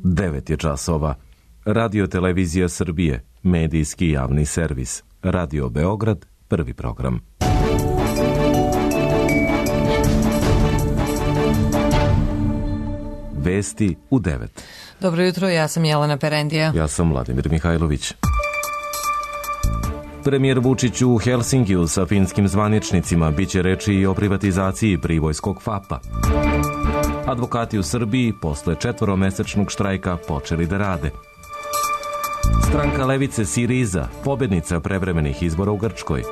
9 je časova. Radio Televizija Srbije, medijski javni servis. Radio Beograd, prvi program. Vesti u 9. Dobro jutro, ja sam Jelena Perendija. Ja sam Vladimir Mihajlović. Premijer Vučić u Helsinkiju sa finskim zvaničnicima biće reči i o privatizaciji pribojskog FAP-a. Advokati u Srbiji posle 4-mesečnog štrajka počeli da rade. Stranka levice Siriza, pobednica prevremenih izbora u Grčkoj.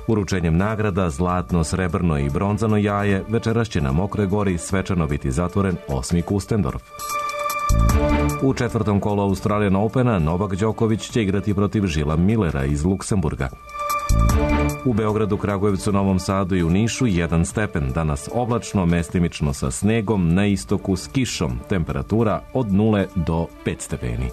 Uručenjem nagrada zlatno, srebrno i bronzano jaje večeras će na Mokroj gori svečano biti zatvoren 8. Kustendorf. U 4. kolu Australian Opena Novak Đoković će igrati protiv Žila Millera iz Luksemburga. U Beogradu, Kragujevcu, Novom Sadu i u Nišu 1 stepen. Danas oblačno, mestimično sa snegom, na istoku s kišom. Temperatura od 0 do 5 stepeni.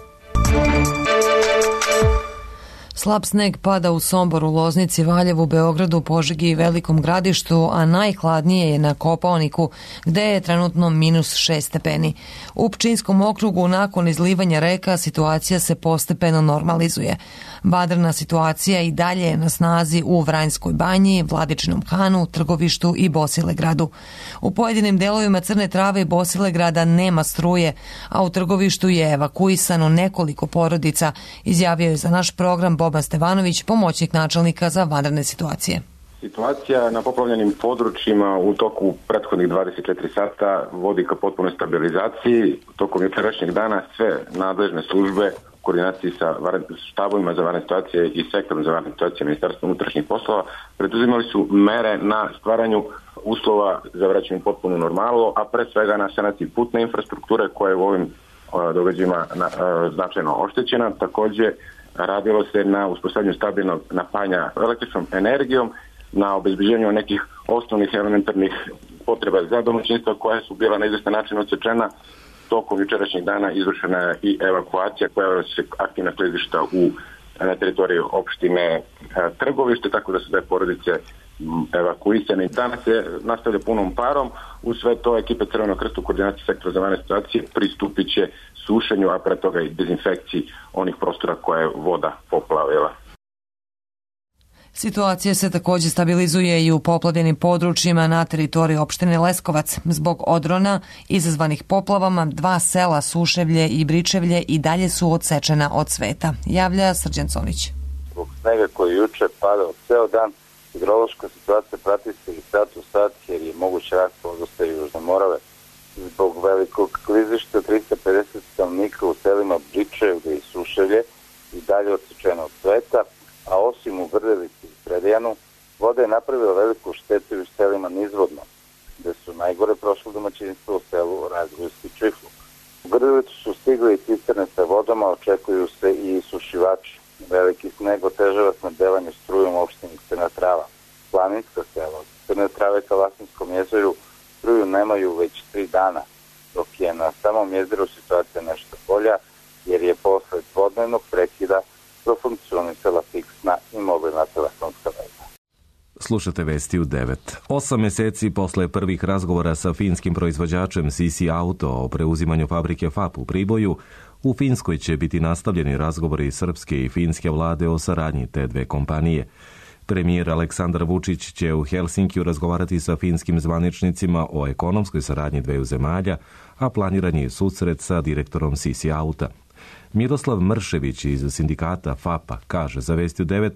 Slab sneg pada u Somboru, Loznici, Valjevu, Beogradu, Požegi i Velikom Gradištu, a najhladnije je na Kopaoniku, gde je trenutno -6 stepeni. U Pčinjskom okrugu nakon izlivanja reka situacija se postepeno normalizuje. Vanredna situacija i dalje je na snazi u Vranjskoj banji, Vladičinom Hanu, Trgovištu i Bosilegradu. U pojedinim delovima Crne Trave i Bosilegrada nema struje, a u Trgovištu je evakuisano nekoliko porodica, izjavio je za naš program Boban Stevanović, pomoćnik načelnika za vanredne situacije. Situacija na poplavljenim područjima u toku prethodnih 24 sata vodi ka potpunoj stabilizaciji. Tokom jučerašnjeg dana sve nadležne službe u koordinaciji sa štabovima za vanredne situacije i sektorom za vanredne situacije Ministarstva unutrašnjih poslova preduzimali su mere na stvaranju uslova za vraćanje potpunu normalu, a pre svega na sanaciji putne infrastrukture koja je u ovim događajima značajno oštećena. Takođe, radilo se na uspostavljanju stabilnog napajanja električnom energijom, na obezbeđenju nekih osnovnih elementarnih potreba za domaćinstva koja su bila na izvestan način odsečena. Tokom jučerašnjeg dana izvršena je i evakuacija koja se aktivna klizišta na teritoriji opštine Trgovište, tako da su te porodice evakuisane. Danas se nastavlja punom parom. U sve to ekipe Crvenog krsta u koordinaciji sektora za vanredne situacije pristupit će sušenju, a pre toga i dezinfekciji onih prostora koje je voda poplavila. Situacija se također stabilizuje i u poplavljenim područjima na teritoriji opštine Leskovac. Zbog odrona izazvanih poplavama 2 sela Suševlje i Bričevlje i dalje su odsečena od sveta, javlja Srđan Conić. Zbog snega koji juče padao ceo dan, hidrološka situacija prati se i sat u sat jer je moguće rast vodostaja Južne Morave. Zbog velikog klizišta 350 stanovnika u selima Bričevlje i Suševlje i dalje odsečeno od sveta, a osim u Grdevici i Predejanu, voda je napravila veliku štetu u selima nizvodno, gde su najgore prošlo domaćinstvo u selu Razgojski Čifluk. U Grdevicu su stigli i cisterne sa vodama, očekuju se i sušivači. Veliki sneg otežava snabdevanje strujom u opštini Crna Trava. Planinska sela od Crne Trave ka Vlasinskom jezeru struju nemaju već 3 dana, dok je na samom jezeru situacija nešto bolja, jer je posle dvodnevnog prekida profunkcionisala fiksna i mobilna telefonska veza. Slušate vesti u 9. 8 meseci posle prvih razgovora sa finskim proizvođačem CC Auto o preuzimanju fabrike FAP u Priboju, u Finskoj će biti nastavljeni razgovori srpske i finske vlade o saradnji te dve kompanije. Premijer Aleksandar Vučić će u Helsinkiju razgovarati sa finskim zvaničnicima o ekonomskoj saradnji dveju zemalja, a planiran je susret sa direktorom CC Auta. Miroslav Mršević iz sindikata FAP-a kaže za Vesti u 9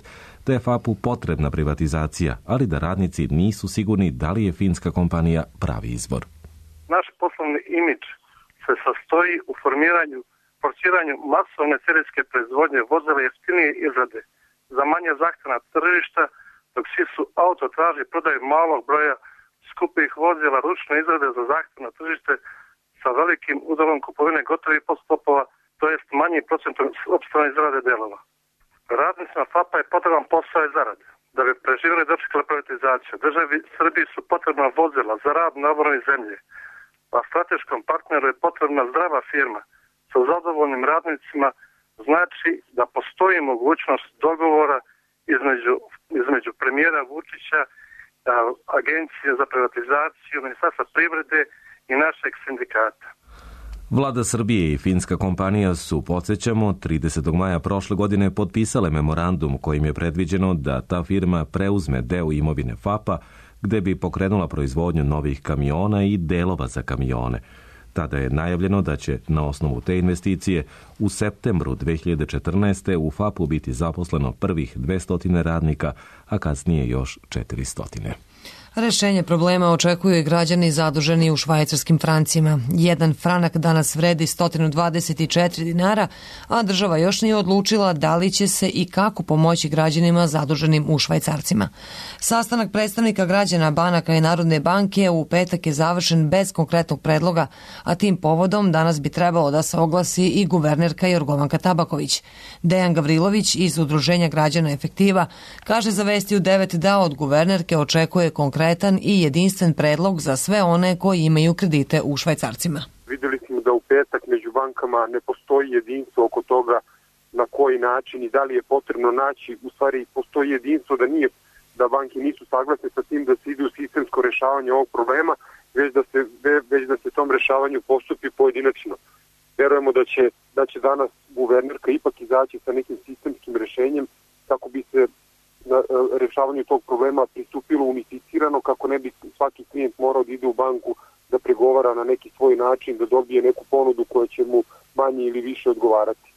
da je FAP-u potrebna privatizacija, ali da radnici nisu sigurni da li je finska kompanija pravi izbor. Naš poslovni imidž se sastoji u forsiranju masovne serijske proizvodnje vozila jeftinije izrade za manje zahtevna tržišta, dok svi su auto traži prodaju malog broja skupih vozila ručne izrade za zahtevno tržište sa velikim udelom kupovine gotovih podstopova, to jest manji procentom opstavne izrade delova. Radnicima FAP-a je potreban posao i zarade. Da bi preživjeli i dočekali privatizaciju, državi Srbiji su potrebna vozila za rad na obnovi zemlje, a strateškom partneru je potrebna zdrava firma sa zadovoljnim radnicima, znači da postoji mogućnost dogovora između premijera Vučića, Agencije za privatizaciju, Ministarstva privrede i našeg sindikata. Vlada Srbije i finska kompanija su, podsjećamo, 30. maja prošle godine potpisale memorandum kojim je predviđeno da ta firma preuzme deo imovine FAP-a gde bi pokrenula proizvodnju novih kamiona i delova za kamione. Tada je najavljeno da će na osnovu te investicije u septembru 2014. u FAP-u biti zaposleno prvih 200 radnika, a kasnije još 400. Rešenje problema očekuju i građani zaduženi u švajcarskim francima. Jedan franak danas vredi 124 dinara, a država još nije odlučila da li će se i kako pomoći građanima zaduženim u švajcarcima. Sastanak predstavnika građana, banaka i Narodne banke u petak je završen bez konkretnog predloga, a tim povodom danas bi trebalo da se oglasi i guvernerka Jorgovanka Tabaković. Dejan Gavrilović iz Udruženja građana Efektiva kaže za Vesti u 9 da od guvernerke očekuje konkretan i jedinstven predlog za sve one koji imaju kredite u švajcarcima. Videli smo da u petak među bankama ne postoji jedinstvo oko toga na koji način i da li je potrebno naći, u stvari postoji jedinstvo da banke nisu saglasne sa tim da se ide u sistemsko rešavanje ovog problema, već da se tom rešavanju postupi pojedinačno. Verujemo da će danas guvernerka ipak izaći sa nekim sistemskim rešenjem kako bi se na rešavanju tog problema pristupilo unificirano, kako ne bi svaki klijent morao da ide u banku da pregovara na neki svoj način, da dobije neku ponudu koja će mu manje ili više odgovarati.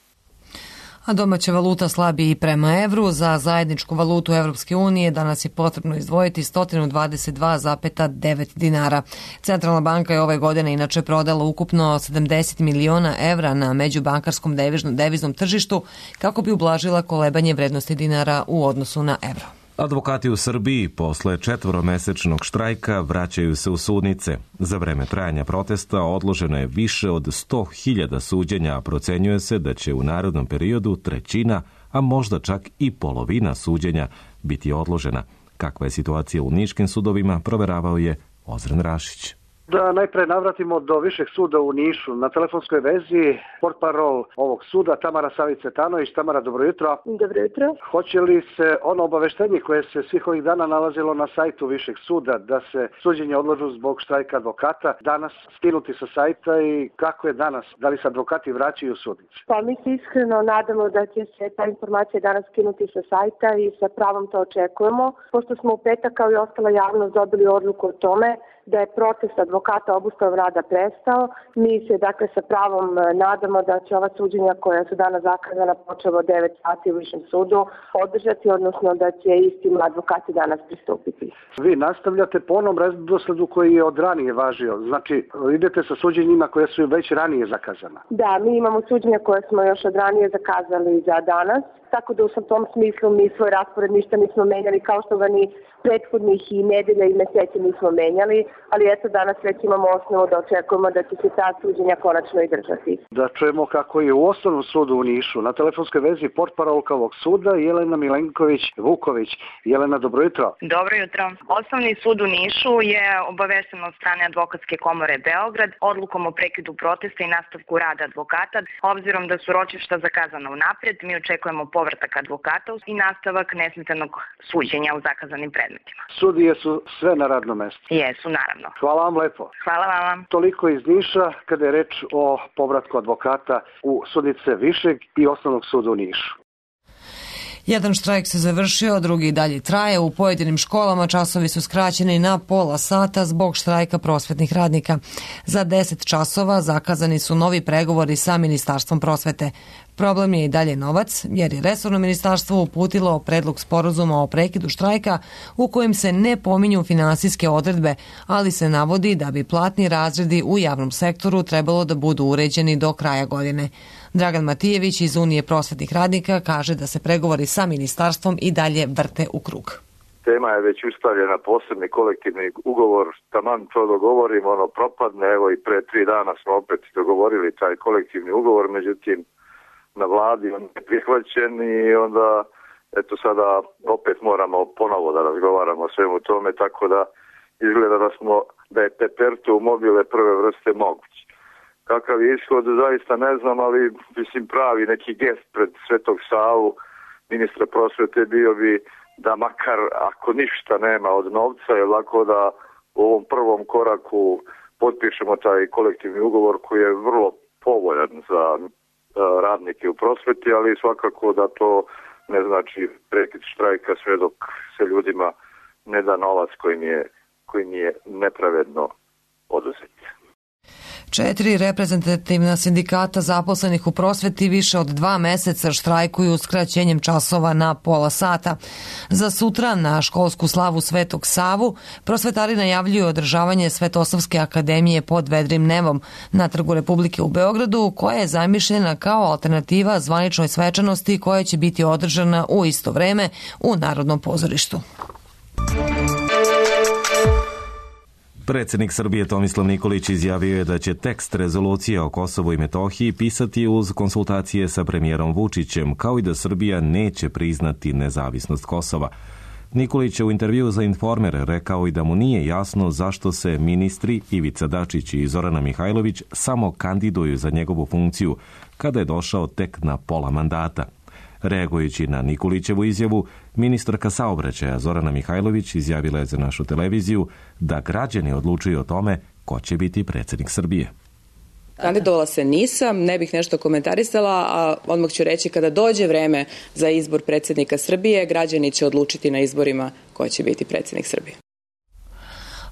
A domaća valuta slabi i prema evru. Za zajedničku valutu Evropske unije danas je potrebno izdvojiti 122,9 dinara. Centralna banka je ove godine inače prodala ukupno 70 miliona evra na međubankarskom deviznom tržištu kako bi ublažila kolebanje vrednosti dinara u odnosu na evro. Advokati u Srbiji posle 4-mesečnog štrajka vraćaju se u sudnice. Za vreme trajanja protesta odloženo je više od 100.000 suđenja, a procenjuje se da će u narednom periodu trećina, a možda čak i polovina suđenja biti odložena. Kakva je situacija u niškim sudovima, proveravao je Ozren Rašić. Da najpre navratimo do Višeg suda u Nišu. Na telefonskoj vezi portparol ovog suda Tamara Savić-Cvetanović. Tamara, dobro jutro. Dobro jutro. Hoće li se ono obaveštenje koje se svih ovih dana nalazilo na sajtu Višeg suda da se suđenje odložu zbog štrajka advokata danas skinuti sa sajta i kako je danas? Da li se advokati vraćaju u sudnice? Pa mi se iskreno nadamo da će se ta informacija danas skinuti sa sajta i sa pravom to očekujemo. Pošto smo u petak kao i ostala javnost dobili odluku o tome da je protest advokata obustavom rada prestao. Mi se dakle sa pravom nadamo da će ova suđenja koja su danas zakazana počevo 9 sati u Višem sudu održati, odnosno da će istim advokati danas pristupiti. Vi nastavljate po onom redosledu koji je od ranije važio, znači idete sa suđenjima koje su već ranije zakazana. Da, mi imamo suđenja koje smo još od ranije zakazali za danas, tako da u tom smislu mi svoj raspored ništa nismo menjali, kao što ga ni prethodnih i nedelja i meseci nismo menjali, ali eto danas već imamo osnovu da očekujemo da će se ta suđenja konačno i držati. Da čujemo kako je u Osnovnom sudu u Nišu. Na telefonskoj vezi portparolka ovog suda Jelena Milenković-Vuković. Jelena, dobro jutro. Dobro jutro. Osnovni sud u Nišu je obavešten od strane Advokatske komore Beograd odlukom o prekidu protesta i nastavku rada advokata. Obzirom da su ročišta zakazana unapred, mi očekujemo povratak advokata i nastavak nesmetanog suđenja u zakazanim predmetima. Sudije su sve na radnom mestu. Jesu, naravno. Hvala vam lepo. Hvala vam. Toliko iz Niša kada je reč o povratku advokata u sudnice Višeg i Osnovnog suda u Nišu. Jedan štrajk se završio, drugi dalje traje. U pojedinim školama časovi su skraćeni na pola sata zbog štrajka prosvetnih radnika. Za 10 časova zakazani su novi pregovori sa Ministarstvom prosvete. Problem je i dalje novac, jer je resorno ministarstvo uputilo predlog sporazuma o prekidu štrajka u kojem se ne pominju finansijske odredbe, ali se navodi da bi platni razredi u javnom sektoru trebalo da budu uređeni do kraja godine. Dragan Matijević iz Unije prosvetnih radnika kaže da se pregovori sa ministarstvom i dalje vrte u krug. Tema je već ustavljena, posebni kolektivni ugovor, taman to dogovorimo, propadne, evo i pre 3 dana smo opet dogovorili taj kolektivni ugovor, međutim na vladi on je prihvaćen i onda eto sada opet moramo ponovo da razgovaramo o svemu tome, tako da izgleda da je teperto u mobile prve vrste moguć. Kakav je ishod, zaista ne znam, ali mislim pravi neki gest pred Svetog Savu ministra prosvete bio bi da makar ako ništa nema od novca, je lako da u ovom prvom koraku potpišemo taj kolektivni ugovor koji je vrlo povoljan za radnike u prosveti, ali svakako da to ne znači prekid štrajka sve dok se ljudima ne da novac koji nije nepravedno oduzet. 4 reprezentativna sindikata zaposlenih u prosveti više od 2 meseca štrajkuju skraćenjem časova na pola sata. Za sutra na školsku slavu Svetog Savu prosvetari najavljuju održavanje Svetosavske akademije pod vedrim nebom na Trgu Republike u Beogradu, koja je zamišljena kao alternativa zvaničnoj svečanosti koja će biti održana u isto vreme u Narodnom pozorištu. Predsjednik Srbije Tomislav Nikolić izjavio je da će tekst rezolucije o Kosovu i Metohiji pisati uz konsultacije sa premijerom Vučićem, kao i da Srbija neće priznati nezavisnost Kosova. Nikolić je u intervjuu za Informer rekao i da mu nije jasno zašto se ministri Ivica Dačić i Zorana Mihajlović samo kandiduju za njegovu funkciju, kada je došao tek na pola mandata. Reagujući na Nikolićevu izjavu, ministarka saobraćaja Zorana Mihajlović izjavila je za našu televiziju da građani odlučuju o tome ko će biti predsjednik Srbije. Kandidovala se nisam, ne bih nešto komentarisala, a odmah ću reći kada dođe vreme za izbor predsjednika Srbije, građani će odlučiti na izborima ko će biti predsjednik Srbije.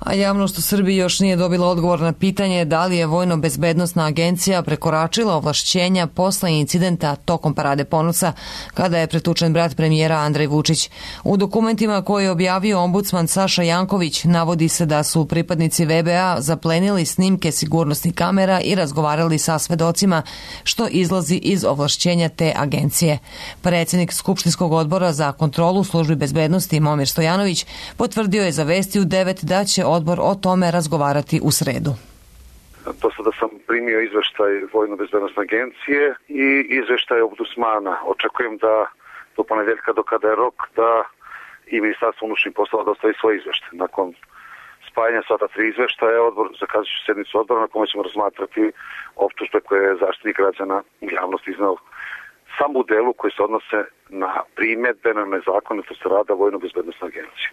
A javnost u Srbiji još nije dobila odgovor na pitanje da li je Vojno-bezbednosna agencija prekoračila ovlašćenja posle incidenta tokom Parade ponosa kada je pretučen brat premijera Andrej Vučić. U dokumentima koje je objavio ombudsman Saša Janković navodi se da su pripadnici VBA zaplenili snimke sigurnosnih kamera i razgovarali sa svedocima, što izlazi iz ovlašćenja te agencije. Predsjednik Skupštinskog odbora za kontrolu službi bezbednosti Momir Stojanović potvrdio je za Vesti u 9 da će odbor o tome razgovarati u sredu. Do sada sam primio izveštaj Vojno-bezbednosne agencije i izveštaj ombudsmana. Očekujem da do ponedeljka, do kada je rok, da i Ministarstvo unutrašnjih poslova dostavi svoj izveštaj. Nakon spajanja sva ta 3 izveštaja, odbor zakazat će sednicu odbora na kome ćemo razmatrati optužbe koje je Zaštitnik građana u javnosti izneo samo u delu koji se odnose na primjedbe na nezakonitost rada Vojno-bezbednosne agencije.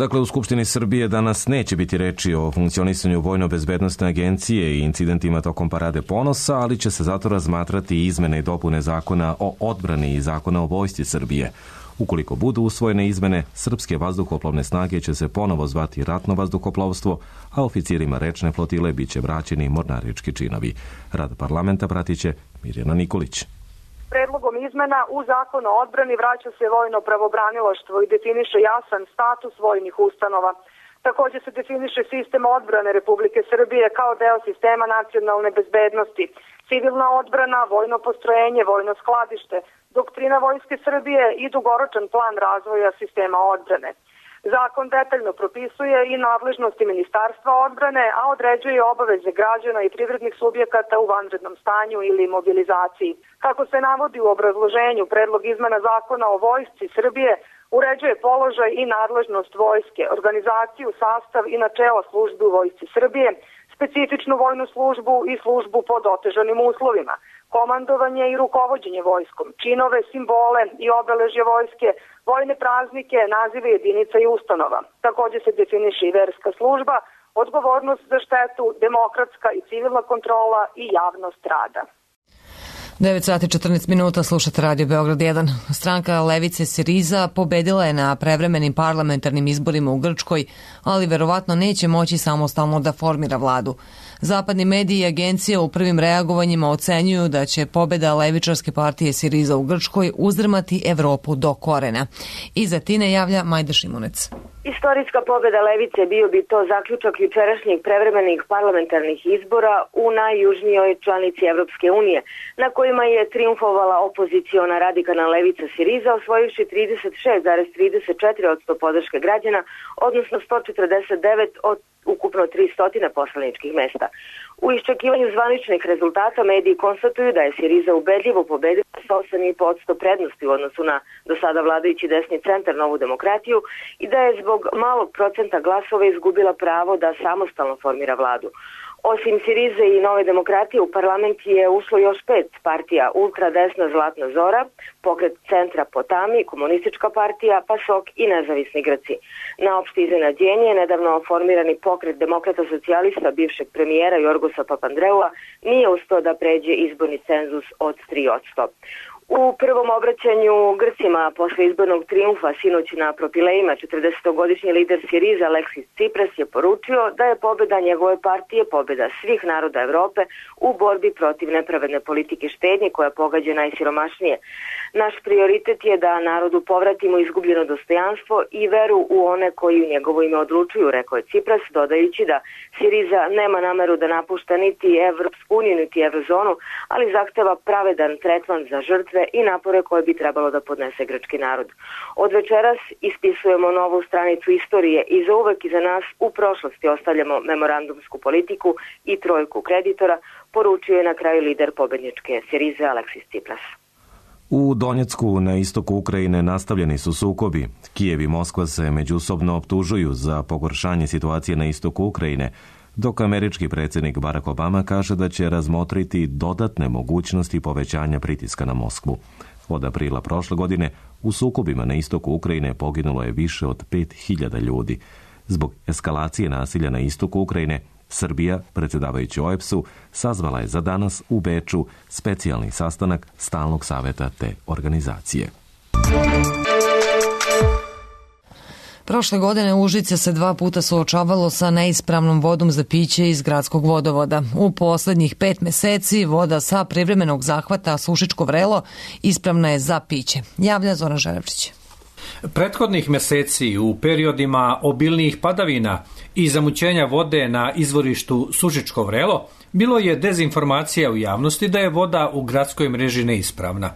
Dakle, u Skupštini Srbije danas neće biti reči o funkcionisanju Vojno-bezbednosne agencije i incidentima tokom Parade ponosa, ali će se zato razmatrati izmene i dopune zakona o odbrani i zakona o vojsci Srbije. Ukoliko budu usvojene izmene, srpske vazduhoplovne snage će se ponovo zvati ratno vazduhoplovstvo, a oficirima rečne flotile biće vraćeni mornarički činovi. Rad parlamenta pratit će Mirjana Nikolić. Predlogom izmena u Zakonu o odbrani vraća se vojno pravobranilaštvo i definiše jasan status vojnih ustanova. Također se definiše sistem odbrane Republike Srbije kao deo sistema nacionalne bezbednosti, civilna odbrana, vojno postrojenje, vojno skladište, doktrina Vojske Srbije i dugoročan plan razvoja sistema odbrane. Zakon detaljno propisuje i nadležnosti Ministarstva odbrane, a određuje obaveze građana i privrednih subjekata u vanrednom stanju ili mobilizaciji. Kako se navodi u obrazloženju, predlog izmena Zakona o vojsci Srbije uređuje položaj i nadležnost vojske, organizaciju, sastav i načela službe u vojsci Srbije, specifičnu vojnu službu i službu pod otežanim uslovima, komandovanje i rukovođenje vojskom, činove, simbole i obeležje vojske, vojne praznike, nazive jedinica i ustanova. Također se definiše i verska služba, odgovornost za štetu, demokratska i civilna kontrola i javnost rada. 9 sati 14 minuta, slušate Radio Beograd 1. Stranka Levice Siriza pobedila je na prevremenim parlamentarnim izborima u Grčkoj, ali verovatno neće moći samostalno da formira vladu. Zapadni mediji i agencije u prvim reagovanjima ocenjuju da će pobeda levičarske partije Siriza u Grčkoj uzdrmati Evropu do korena. Iza Tine javlja Majda Šimunec. Istorijska pobjeda levice bio bi to zaključak jučerašnjih prevremenih parlamentarnih izbora u najjužnijoj članici Evropske unije, na kojima je triumfovala opoziciona radikalna levica Siriza, osvojivši 36,34% podrške građana, odnosno 149 od ukupno 300 poslaničkih mesta. U iščekivanju zvaničnih rezultata mediji konstatuju da je Siriza ubedljivo pobedila sa 8,5% prednosti u odnosu na do sada vladajući desni centar Novu demokratiju i da je zbog malog procenta glasova izgubila pravo da samostalno formira vladu. Osim Sirize i Nove demokratije, u parlament je ušlo još 5 partija: ultradesna Zlatna Zora, pokret centra Potami, komunistička partija, PASOK i nezavisni Grci. Na opšte iznenađenje, nedavno formirani pokret demokrata socijalista bivšeg premijera Jorgosa Papandreua nije uspeo da pređe izborni cenzus od 3%. U prvom obraćanju Grcima posle izbornog trijumfa sinoć na Propilejima 40-godišnji lider Siriza Aleksis Tsipras je poručio da je pobeda njegove partije pobeda svih naroda Evrope u borbi protiv nepravedne politike štednje koja pogađa najsiromašnije. Naš prioritet je da narodu povratimo izgubljeno dostojanstvo i veru u one koji u njegovo ime odlučuju, rekao je Tsipras, dodajući da Siriza nema nameru da napušta niti Evropsku uniju niti Eurozonu, ali zahteva pravedan tretman za žrtve i napore koje bi trebalo da podnese grčki narod. Od večeras ispisujemo novu stranicu istorije i za uvek iza nas u prošlosti ostavljamo memorandumsku politiku i trojku kreditora, poručio je na kraju lider pobedničke Sirize Aleksis Tsipras. U Donjecku na istoku Ukrajine nastavljeni su sukobi. Kijev i Moskva se međusobno optužuju za pogoršanje situacije na istoku Ukrajine, dok američki predsjednik Barack Obama kaže da će razmotriti dodatne mogućnosti povećanja pritiska na Moskvu. Od aprila prošle godine u sukobima na istoku Ukrajine poginulo je više od 5000 ljudi. Zbog eskalacije nasilja na istoku Ukrajine, Srbija, predsjedavajući OEBS-u, sazvala je za danas u Beču specijalni sastanak stalnog savjeta te organizacije. Prošle godine Užice se 2 puta suočavalo sa neispravnom vodom za piće iz gradskog vodovoda. U posljednjih 5 meseci voda sa privremenog zahvata Sušičko Vrelo ispravna je za piće. Javlja Zoran Želevčić. Prethodnih meseci u periodima obilnijih padavina i zamućenja vode na izvorištu Sušičko Vrelo bilo je dezinformacija u javnosti da je voda u gradskoj mreži neispravna.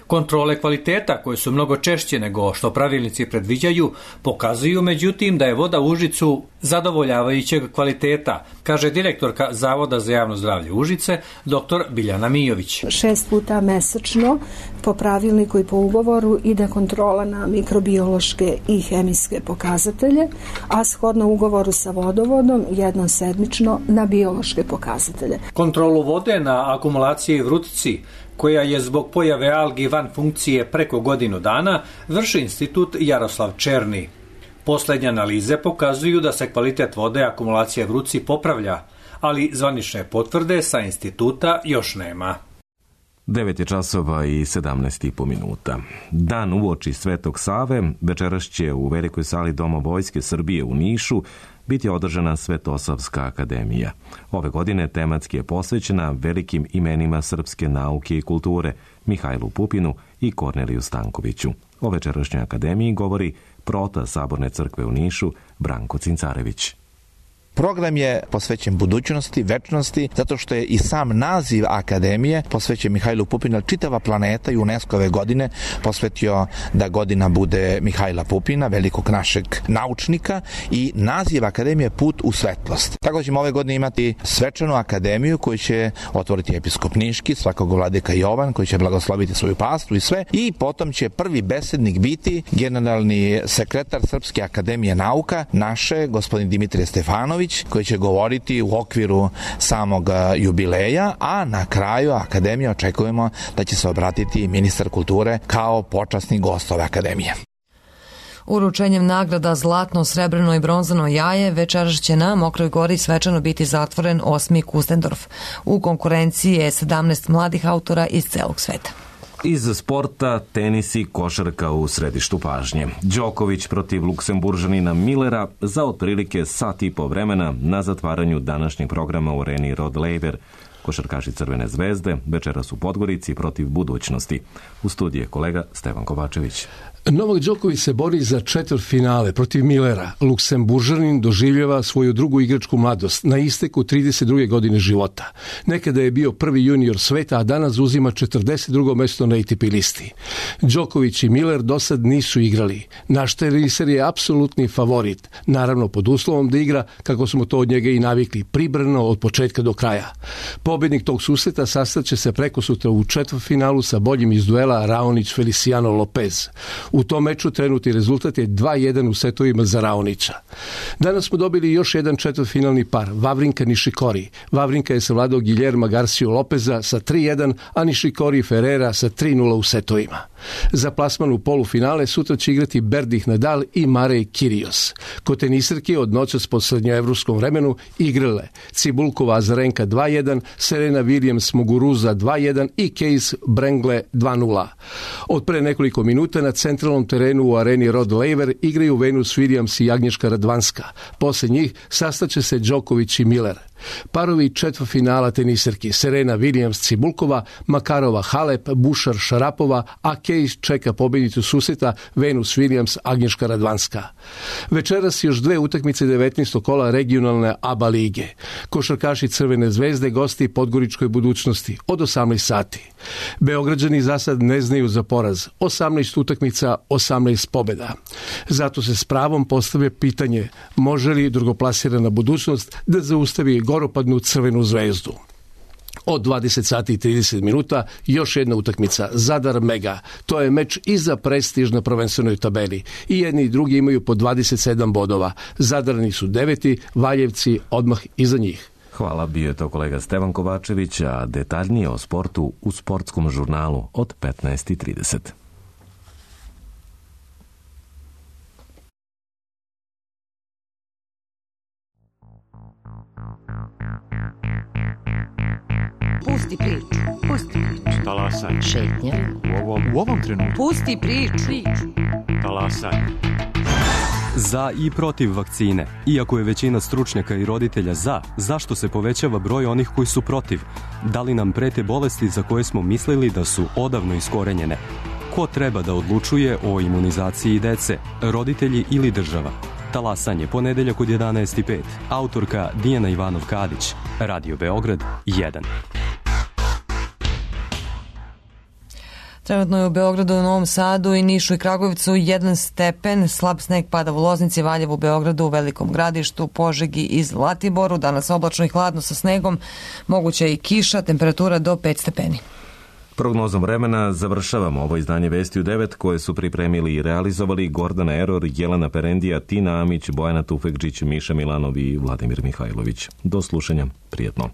Kontrole kvaliteta, koje su mnogo češće nego što pravilnici predviđaju, pokazuju međutim da je voda u Užicu zadovoljavajućeg kvaliteta, kaže direktorka Zavoda za javno zdravlje Užice, dr. Biljana Mijović. 6 puta mesečno po pravilniku i po ugovoru ide kontrola na mikrobiološke i hemijske pokazatelje, a shodno ugovoru sa vodovodom jednom sedmično na biološke pokazatelje. Kontrolu vode na akumulaciji Vrutici, koja je zbog pojave algi van funkcije preko godinu dana, vrši institut Jaroslav Černi. Posljednje analize pokazuju da se kvalitet vode akumulacije Vruci popravlja, ali zvanične potvrde sa instituta još nema. 9:17 Dan uoči Svetog Save večeras će u velikoj sali Doma Vojske Srbije u Nišu biti održana Svetosavska akademija. Ove godine tematski je posvećena velikim imenima srpske nauke i kulture Mihajlu Pupinu i Korneliju Stankoviću. O večerašnjoj akademiji govori prota Saborne crkve u Nišu Branko Cincarević. Program je posvećen budućnosti, večnosti, zato što je i sam naziv akademije posvećen Mihajlu Pupinu. Čitava planeta i UNESCO-ve godine posvetio da godina bude Mihajla Pupina, velikog našeg naučnika, i naziv akademije Put u svetlost. Tako ćemo ove godine imati svečanu akademiju koju će otvoriti episkop Niški, svakog vladika Jovan, koji će blagosloviti svoju pastu i sve, i potom će prvi besednik biti generalni sekretar Srpske akademije nauka, naše, gospodin Dimitrije Stefanović, koji će govoriti u okviru samog jubileja, a na kraju akademije očekujemo da će se obratiti ministar kulture kao počasni gost ove akademije. Uručenjem nagrada zlatno, srebrno i bronzano jaje večeras će na Mokroj Gori svečano biti zatvoren 8. Kustendorf. U konkurenciji je 17 mladih autora iz celog sveta. Iz sporta, tenis i košarka u središtu pažnje. Đoković protiv Luksemburžanina Millera za otprilike sat i po vremena na zatvaranju današnjeg programa u areni Rod Laver. Košarkaši Crvene zvezde večeras u Podgorici protiv Budućnosti. U studiju je kolega Stevan Kovačević. Novak Đoković se bori za četvrtfinale protiv Millera. Luksemburžanin doživljava svoju drugu igračku mladost na isteku 32. godine života. Nekada je bio prvi junior sveta, a danas uzima 42. mesto na ATP listi. Đoković i Miller dosad nisu igrali. Naš teniser je apsolutni favorit, naravno pod uslovom da igra kako smo to od njega i navikli, pribrano od početka do kraja. Pobednik tog susreta sastaće se prekosutra u četvrtfinalu sa boljim iz duela Raonić-Feliciano Lopez. U tom meču trenutni rezultat je 2-1 u setovima za Raonića. Danas smo dobili još jedan četvrtfinalni par, Wawrinka Nishikori. Wawrinka je savladao Guillerma Garcia Lopeza sa 3-1, a Nishikori Ferreira sa 3-0 u setovima. Za plasman u polufinale sutra će igrati Berdych Nadal i Marej Kyrgios. Kod tenisarki od noćas po srednjoevropskom vremenu igrale Cibulkova Azarenka 2-1, Serena Williams Muguruza 2-1 i Case Brangle 2-0. Od pre nekoliko minuta na centralnom terenu u areni Rod Laver igraju Venus Williams i Agnieszka Radwanska. Posle njih sastaće se Djokovic i Miller. Parovi četvrtfinala tenisarki Serena Williams Cibulkova, Makarova Halep, Bušar Šarapova, a Case čeka pobjednicu susreta Venus Williams Agnieszka Radwanska. Večeras još dve utakmice 19. kola regionalne ABA lige. Košarkaši Crvene zvezde gosti Podgoričkoj Budućnosti od 18 sati. Beograđani za sad ne znaju za poraz. 18 utakmica, 18 pobjeda. Zato se s pravom postavlja pitanje može li drugoplasirana Budućnost da zaustavi goropadnu Crvenu zvezdu. Od 20 sati i 30 minuta još jedna utakmica, Zadar Mega. To je meč i za prestiž na prvenstvenoj tabeli. I jedni i drugi imaju po 27 bodova. Zadarani su 9, Valjevci odmah iza njih. Hvala, bio je to kolega Stevan Kovačević, a detaljnije o sportu u sportskom žurnalu od 15:30. Pusti priču. Pusti priču. Talasaj. Šetnja. U ovom trenutku. Pusti priču. Talasaj. Za i protiv vakcine. Iako je većina stručnjaka i roditelja za, zašto se povećava broj onih koji su protiv? Da li nam prete bolesti za koje smo mislili da su odavno iskorenjene? Ko treba da odlučuje o imunizaciji dece? Roditelji ili država? Talasanje, ponedeljak od 11:05. Autorka Dijana Ivanov-Kadić. Radio Beograd 1. Trenutno je u Beogradu, Novom Sadu i Nišu i Kragujevcu 1 stepen, slab sneg pada u Loznici, Valjevu, Beogradu, u Velikom Gradištu, Požegi i Zlatiboru. Danas oblačno i hladno sa snegom, moguća i kiša, temperatura do 5 stepeni. Prognozom vremena završavamo ovo izdanje Vesti u 9 koje su pripremili i realizovali Gordana Eror, Jelena Perendija, Tina Amić, Bojana Tufekđić, Miša Milanov i Vladimir Mihajlović. Do slušanja, prijetno.